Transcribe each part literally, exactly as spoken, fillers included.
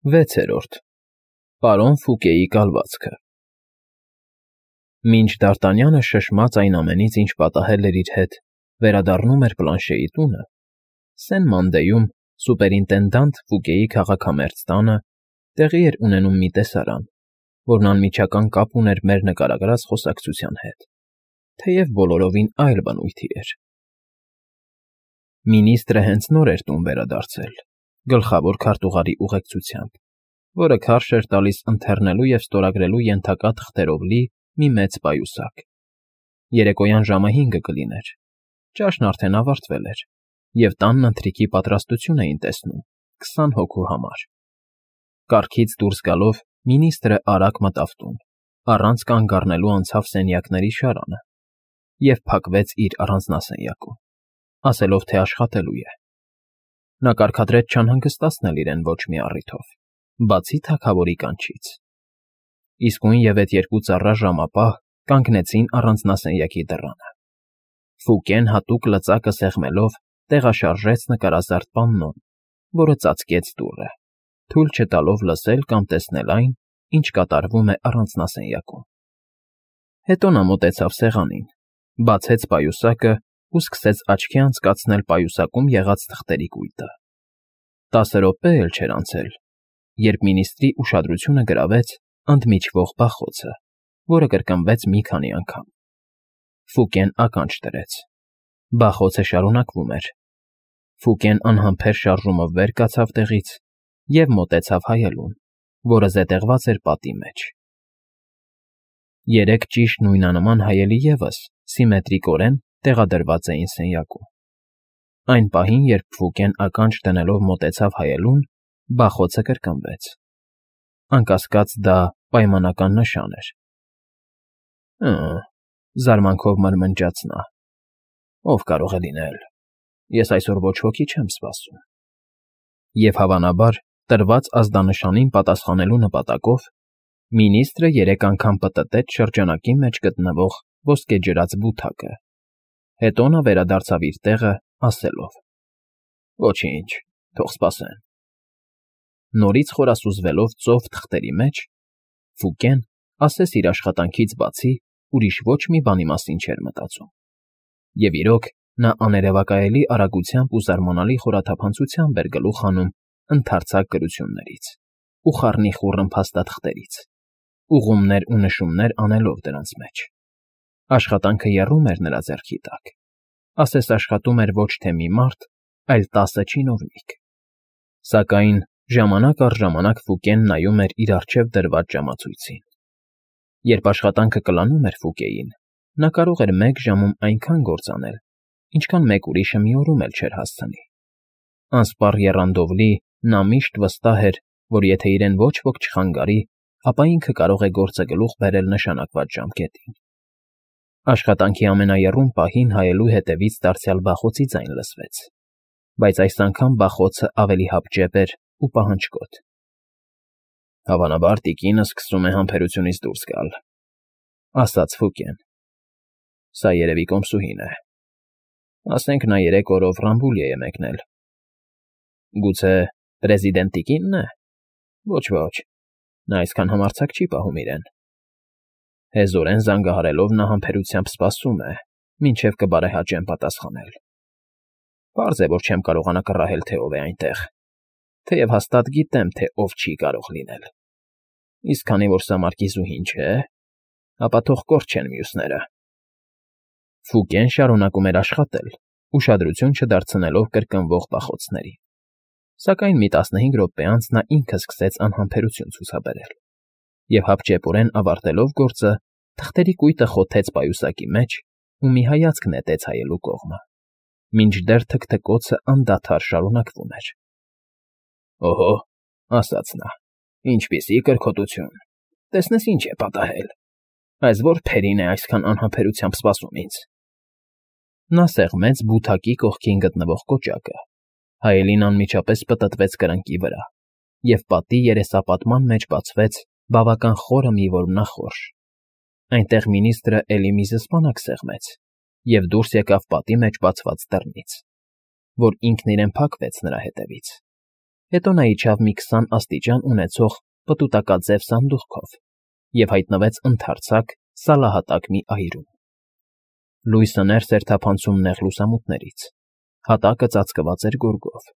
Վեցերորդ Պարոն Ֆուկեի կալվածքը Մինչ Դ'Արտանյանը շշմած այն ամենից, ինչ պատահել էր իր հետ, վերադառնում էր Պլանշեի տունը, Սեն֊Մանդեյում սուպերինտենդանտ Ֆուկեի քաղաքամերձ տանը տեղի էր ունենում մի տեսարան, որն անմիջական կապ ուներ մեր նկարագրած խոսակցության հետ, թեև բոլորովին այլ բնույթի էր։ Մինիստրը հենց նոր էր տուն վերադարձել, գլխավոր քարտուղարի ուղեկցությամբ, որը քարշ էր տալիս ընթեռնելու և ստորագրելու ենթակա թղթերով լի մի մեծ պայուսակ։ Երեկոյան ժամը հինգը կլիներ, ճաշն արդեն ավարտվել էր, և տանն ընթրիքի պատրաստություն էին տեսնում քսան հոգու համար։ Կառքից դուրս գալով մինիստրը արագ մտավ տուն, առանց կանգ առնելու անցավ սենյակների շարանը և փակվեց իր առանձնասենյակում, ասելով, թե աշխատելու է։ Նա կարգադրեց չանհանգստացնել իրեն ոչ մի առիթով, բացի թագավորի կանչից։ Իսկույն և էդ երկու ծառա ժամապահ կանգնեցին առանձնասենյակի դռանը։ Ֆուկեն հատուկ լծակը սեղմելով տեղաշարժեց նկարազարդ պաննոն, որը ծածկեց դուռը, թույլ չտալով լսել կամ տեսնել այն, ինչ կատարվում է առանձնասենյակում։ Հետո նա մոտեցավ սեղանին, բացեց պայուսակն ու սկսեց աչքի անցկացնել պայուսակում եղած թղթերի կույտը։ Տասը րոպե էլ չէր անցել, երբ մինիստրի ուշադրությունը գրավեց ընդմիջվող բախոցը, որը կրկնվեց մի քանի անգամ։ Ֆուկեն ականջ դրեց։ Բախոցը շարունակվում էր։ Ֆուկեն անհամբեր շարժումով վեր կացավ տեղից և մոտեցավ հայելուն, որը զետեղված էր պատի մեջ։ Երեք ճիշտ նույնանման հայելի ևս սիմետրիկորեն տեղադրված էին սենյակում։ Այն պահին, երբ Ֆուկեն ականջ դնելով մոտեցավ հայելուն, բախոցը կրկնվեց։ Անկասկած, դա պայմանական նշան էր։ «Հը՜մ,» զարմանքով մրմնջաց նա,֊ ով կարող է լինել, ես այսօր ոչ ոքի չեմ սպասում»։ Եվ, հավանաբար, տրված ազդանշանին պատասխանելու նպատակով մինիստրը երեք անգամ պտտեց շրջանակի մեջ գտնվող ոսկեջրած բութակը, հետո նա վերադարձավ իր տեղը, ասելով. «Ոչինչ, թող սպասեն»։ Նորից խորասուզվելով ծով թղթերի մեջ, Ֆուկեն, ասես իր աշխատանքից բացի, ուրիշ ոչ մի բանի մասին չէր մտածում։ Եվ, իրոք, նա աներևակայելի արագությամբ ու զարմանալի խորաթափանցությամբ էր գլուխ հանում ընդարձակ գրություններից ու խառնիխուռն փաստաթղթերից, ուղղումներ ու նշումներ անելով դրանց մեջ։ Աշխատանքը եռում էր նրա ձեռքի տակ, ասես աշխատում էր ոչ թե մի մարդ, այլ տասը չինովնիկ։ Սակայն ժամանակ առ ժամանակ Ֆուկեն նայում էր իր առջև դրված ժամացույցին։ Երբ աշխատանքը կլանում էր Ֆուկեին, նա կարող էր մեկ ժամում այնքան գործ անել, ինչքան մեկ ուրիշը մի օրում էլ չէր հասցնի։ Անսպառ եռանդով լի, նա միշտ վստահ էր, որ եթե իրեն ոչ ոք չխանգարի, ապա ինքը կարող է գործը գլուխ բերել նշանակված ժամկետին։ Աշխատանքի ամենաեռում պահին հայելու հետևից դարձյալ բախոցի ձայն լսվեց, բայց այս անգամ բախոցը ավելի հապճեպ էր ու պահանջկոտ։ «Հավանաբար տիկինը սկսում է համբերությունից դուրս գալ», ֊ ասաց Ֆուկեն։ «Սա երևի կոմսուհին է։ Ասենք նա երեք օրով Ռամբուլիա է մեկնել»։ «Գուցե պրեզիդենտ տիկինն է»։ «Ոչ, ոչ, նա այսքան համարձակ չի պահում իրեն»։ Հեզորեն զանգահարելով նա համբերությամբ սպասում է, մինչև կբարեհաճեմ պատասխանել։ Պարզ է, որ չեմ կարողանա կռահել, թե ով է այնտեղ, թեև հաստատ գիտեմ, թե ով չի կարող լինել։ Իսկ քանի որ սա մարկիզուհին չէ, ապա թող կորչեն մյուսները»։ Ֆուկեն շարունակում էր աշխատել, ուշադրություն չդարձնելով կրկնվող բախոցներին։ Սակայն մի տասնհինգ րոպե անց նա ինքը սկսեց անհամբերություն ցուցաբերել և, հապճեպորեն ավարտելով գործը, թղթերի կույտը խոթեց պայուսակի մեջ ու մի հայացք նետեց հայելու կողմը, մինչդեռ թքթքոցը անդադար շարունակվում էր։ «Օհո», ֊ ասաց նա,֊ ինչպիսի կրքոտություն, տեսնես ինչ է պատահել։ Այս ո՞ր փերին է այսքան անհամբերությամբ սպասում ինձ»։ Նա սեղմեց բութակի կողքին գտնվող կոճակը, հայելին անմիջապես պտտվեց կրնկի վրա, և պատի երեսապատման մեջ բացվեց բավական խորը մի որմնախորշ։ Այնտեղ մինիստրը էլի մի զսպանակ սեղմեց և դուրս եկավ պատի մեջ բացված դռնից, որ ինքն իրեն փակվեց նրա հետևից։ Հետո նա իջավ մի քսան աստիճան ունեցող պտուտակաձև սանդուղքով և հայտնվեց ընդարձակ, սալահատակ մի այրում։ Լույսը ներս էր թափանցում նեղ լուսամուտներից, հատակը ծածկված էր գորգով։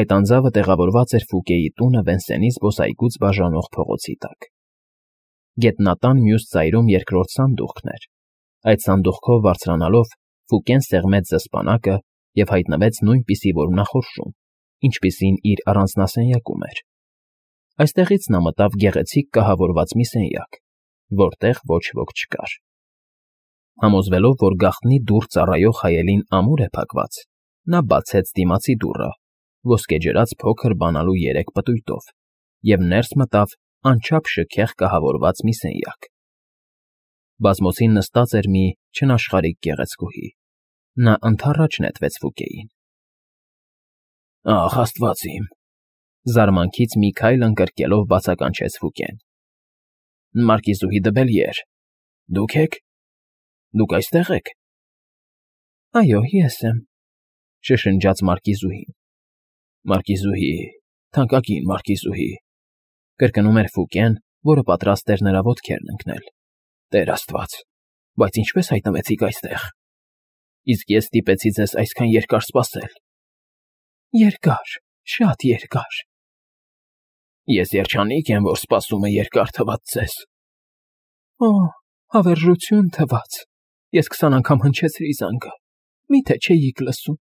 Այդ անձավը տեղավորված էր Ֆուկեի տունը Վենսենի զբոսայգուց բաժանող փողոցի տակ։ Գետնատան մյուս ծայրում երկրորդ սանդուղքն էր։ Այդ սանդուղքով բարձրանալով Ֆուկեն սեղմեց զսպանակը և հայտնվեց նույնպիսի որմնախորշում, ինչպիսին իր առանձնասենյակում էր։ Այստեղից նա մտավ գեղեցիկ կահավորված մի սենյակ, որտեղ ոչ ոք չկար։ Համոզվելով, որ գաղտնի դուռ ծառայող հայելին ամուր է փակված, նա բացեց դիմացի դուռը, ոսկեջրած փոքր բանալու երեք պտույտով, և ներս մտավ անչափ շքեղ կահավորված մի սենյակ։ Բազմոցին նստած էր մի չնաշխարհիկ գեղեցկուհի։ Նա ընդառաջ նետվեց Ֆուկեին։ «Ախ, աստված իմ», զարմանքից մի քայլ ընկրկելով բացականչեց Ֆուկեն։ «Մարկիզուհի Դբելյեր, դուք ե՞ք։ Դուք այստեղ եք»։ «Այո, ես եմ», շշնջաց մարկիզուհին։ «Մարկիզուհի, թանկագին մարկիզուհի», կրկնում էր Ֆուկեն, որը պատրաստ էր նրա ոտքերն ընկնել։ «Տեր Աստված, բայց ինչպե՞ս հայտնվեցիք այստեղ։ Իսկ ես ստիպեցի ձեզ այսքան երկար սպասել»։ «Երկար, շատ երկար»։ «Ես երջանիկ եմ, որ սպասումը երկար թվաց ձեզ»։ «Օ, հավերժություն թվաց, ես քսան անգամ հնչեցրի զանգը, մի՞թե չէիք լսում»։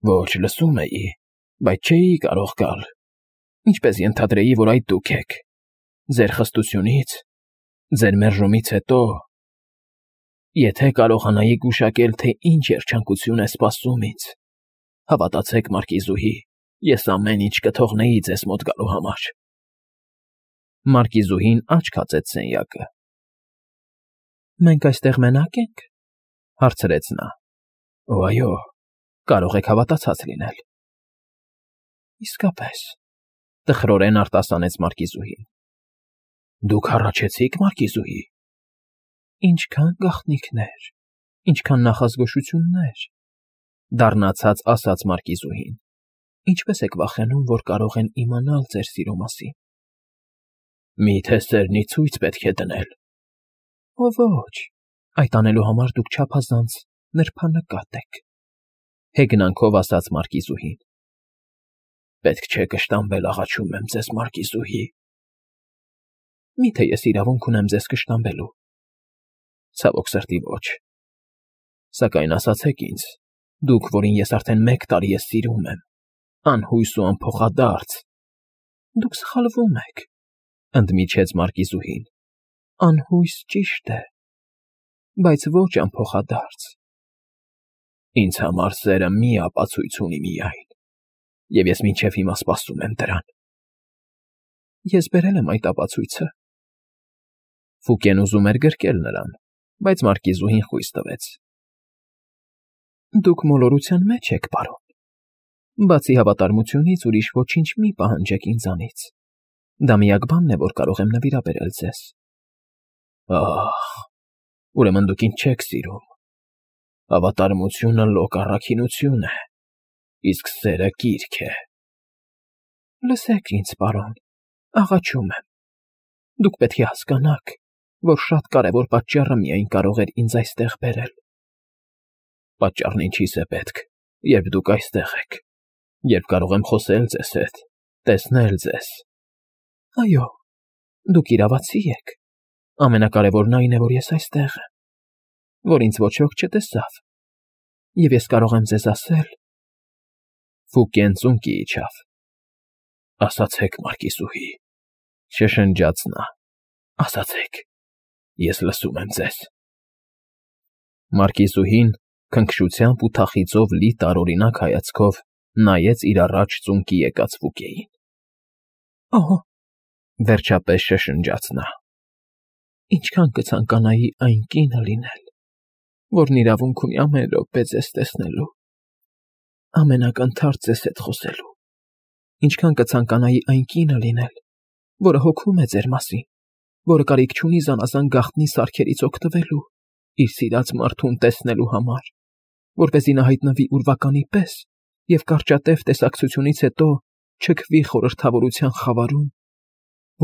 «Ոչ, լսում էի, բայց չէի կարող գալ, ինչպես ենթադրեի, որ այդ դուք եք։ Ձեր խստությունից, ձեր մերժումից հետո… Եթե կարողանայի գուշակել, թե ինչ երջանկություն է սպասում ինձ, հավատացեք, մարկիզուհի, ես ամեն ինչ կթողնեի ձեզ մոտ գալու համար»։ Մարկիզուհին աչք հացեց սենյակը։ «Մենք այստեղ մենա՞կ ենք», հարցրեց նա։ «Օ, այո, կարող եք հավատացած լինել»։ «Իսկապես», տխրորեն արտասանեց մարկիզուհին։ «Դուք հառաչեցի՞ք, մարկիզուհի»։ «Ինչքան գաղտնիքներ, ինչքան նախազգուշություններ», դառնացած ասաց մարկիզուհին։ «Ինչպես եք վախենում, որ կարող են իմանալ ձեր սիրո մասին»։ «Մի՞թե սերնի ցույց պետք է դնել»։ «Օ ոչ, այդ անելու համար դուք չափազանց նրբանկատ եք», հեգնանքով ասաց մարկիզուհին։ «Պետք չէ կշտամբել, աղաչում եմ ձեզ, մարկիզուհի»։ «Մի՞թե ես իրավունք ունեմ ձեզ կշտամբելու»։ «Ցավոք սրտի ոչ։ Սակայն ասացեք ինձ, դուք, որին ես արդեն մեկ տարի է սիրում եմ, անհույս ու անփոխադարձ»։ «Դուք սխալվում եք», ընդմիջեց մարկիզուհին։ «Անհույս ճիշտ է, բայց ոչ անփոխադարձ»։ «Ինձ համար սերը մի ապացույց ունի միայն, և ես մինչև հիմա սպասում եմ դրան»։ «Ես բերել եմ այդ ապացույցը»։ Ֆուկեն ուզում էր գրկել նրան, բայց մարկիզուհին խույս տվեց։ «Դուք մոլորության մեջ եք, պարոն։ Բացի հավատարմությունից ուրիշ ոչինչ մի պահանջեք ինձանից։ Դա միակ բանն է, որ կարող եմ նվիրաբերել ձեզ»։ «Ահ, ուրեմն դուք ինձ չեք սիրում։ Հավատարմությունը լոկ առաքինություն է, իսկ սերը կիրք է»։ «Լսեք ինձ, պարոն, աղաչում եմ։ Դուք պետք է հասկանաք, որ շատ կարևոր պատճառը միայն կարող էր ինձ այստեղ բերել»։ «Պատճառն ինչի՞ս է պետք, երբ դուք այստեղ եք, երբ կարող եմ խոսել ձեզ հետ, տեսնել ձեզ»։ «Այո, դուք իրավացի եք։ Ամենակարևորն այն է, որ ես այստեղ եմ, որ ինձ ոչ ոք չտեսավ, և ես կարող եմ ձեզ ասել»։ Ֆուկեն ծունկի իջավ։ «Ասացեք, մարկիզուհի», շշնջաց նա, «ասացեք, ես լսում եմ ձեզ»։ Մարկիզուհին քնքշությամբ ու թախիծով լի տարօրինակ հայացքով նայեց իր առաջ ծունկի եկած Ֆուկեին։ «Օհո», վերջապես շշնջաց նա, «ինչքան կցանկանայի այն կինը լինել, որն իրավունք ունի ամեն րոպե ձեզ տեսնելու, ամենակնդարձ ձեզ հետ խոսելու։ Ինչքան կցանկանայի այն կինը լինել, որը հոգում է ձեր մասին, որը կարիք չունի զանազան գաղտնի սարքերից օգտվելու, իր սիրած մարդուն տեսնելու համար, որպեսզի նա հայտնվի ուրվականի պես և կարճատև տեսակցությունից հետո չքվի խորհրդավորության խավարում,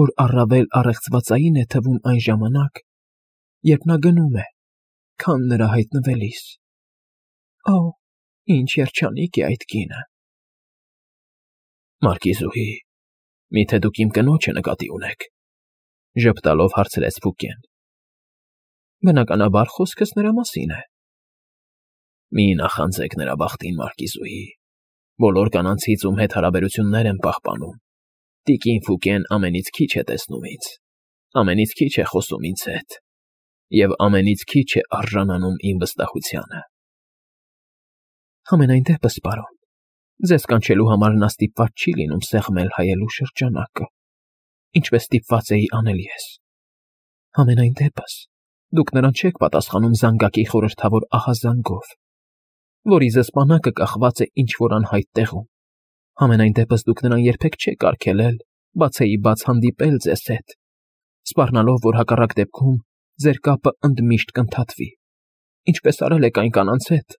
որ առավել առեղծվածային է թվում այն ժամանակ, երբ նա գնում է, քան նրա հայտնվելիս։ Օ, ինչ երջանիկ է այդ կինը։ Մարկիզուհի, միթե դուք իմ կնոջը նկատի ունեք, ժպտալով հարցրեց Ֆուկեն։ Բնականաբար խոսքս նրա մասին է։ Մի նախանձեք նրա բախտին, Մարկիզուհի, բոլոր կանանցից, ում հետ հարաբերություններ եմ պահպանում, տիկին Ֆուկեն ամենից քիչ է տեսնում ինձ, ամենից քիչ է խոսում ինձ հետ, և ամենից քիչ է արժանանում իմ վստահությանը։ Համենայն դեպս, պարոն, ձեզ կանչելու համար նա ստիպված չի լինում սեղմել հայելու շրջանակը, ինչպես ստիպված էի անել ես։ Համենայն դեպս, դուք նրան չեք պատասխանում զանգակի խորհրդավոր ահազանգով, որի զսպանակը կախված է ինչ-որ անհայտ տեղում։ Համենայն դեպս դուք նրան երբեք չեք արգելել, բացեի բաց հանդիպել ձեզ հետ, սպառնալով, որ հակառակ դեպքում ձեր կապը ընդմիշտ կընդհատվի, ինչպես արել եք այն կանանց հետ,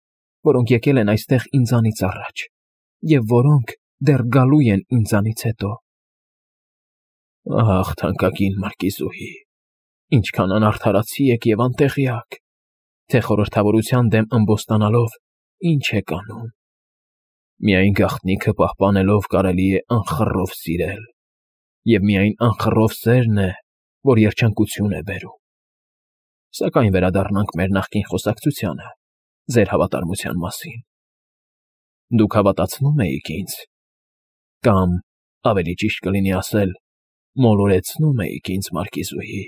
որոնք եկել են այստեղ ինձանից առաջ, և որոնք դեռ գալու են ինձանից հետո։ Ահ, թանկագին Մարկիզուհի, ինչքան անարդարացի եք և անտեղյակ, թե խորհրդավորության դեմ ըմբոստանալով ինչ եք անում։ Միայն գաղտնիքը պահպանելով կարելի է անխռով սիրել, և միայն անխռով սերն է, որ երջանկություն է բերում։ Սակայն վերադառնանք մեր նախկին խոսակցությանը, ձեր հավատարմության մասին։ Դուք հավատացնում էիք ինձ, կամ, ավելի ճիշտ կլինի ասել, մոլորեցնում էիք ինձ, Մարկիզուհի,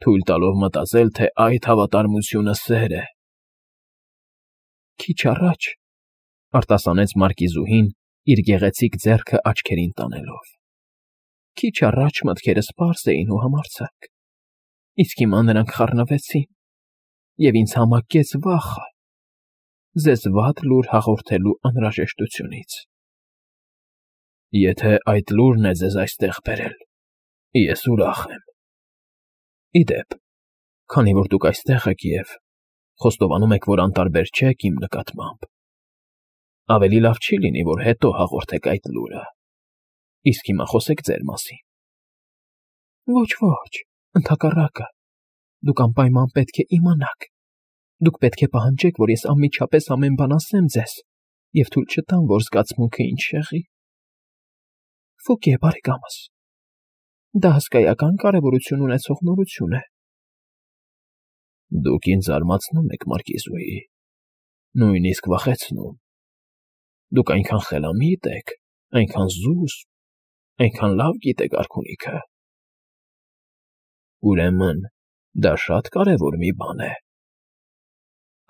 թույլ տալով մտածել, թե այդ հավատարմությունը սեր է։ Քիչ առաջ, արտասանեց Մարկիզուհին, իր գեղեցիկ ձեռքը աչքերին տանելով, քիչ առաջ մտքերս պարզ էին ու համարձակ, իսկ հիմա նրանք խառնվեցին, և ինձ համակեց վախը ձեզ վատ լուր հաղորդելու անհրաժեշտությունից։ Եթե այդ լուրն է ձեզ այստեղ բերել, ես ուրախ եմ։ Ի դեպ, քանի որ դուք այստեղ եք և խոստովանում եք, որ անտարբեր չեք իմ նկատմամբ, ավելի լավ չի լինի, որ հետո հաղորդեք այդ լուրը, իսկ հիմա խոսեք ձեր մասին։ Ոչ, ոչ, ընդհակառակը, դուք անպայման պետք է իմանաք, դուք պետք է պահանջեք, որ ես անմիջապես ամեն բան ասեմ ձեզ և թույլ չտամ, որ զգացմունքը ինձ շեղի։ Ֆուկե, բարեկամս, դա հսկայական կարևորություն ունեցող նորություն է։ Դուք ինձ զարմացնում եք, Մարկիզուհի, նույնիսկ վախեցնում։ Դուք այնքան խելամիտ եք, այնքան զուսպ, այնքան լավ գիտեք արքունիքը։ Ուրեմն դա շատ կարևոր մի բան է։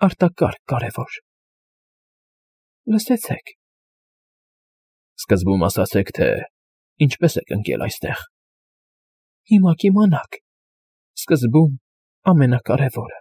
Արտակարգ կարևոր։ Լսեցեք։ Սկզբում ասացեք, թե ինչպես եք ընկել այստեղ։ Հիմա կիմանաք։ Սկզբում ամենակարևորը։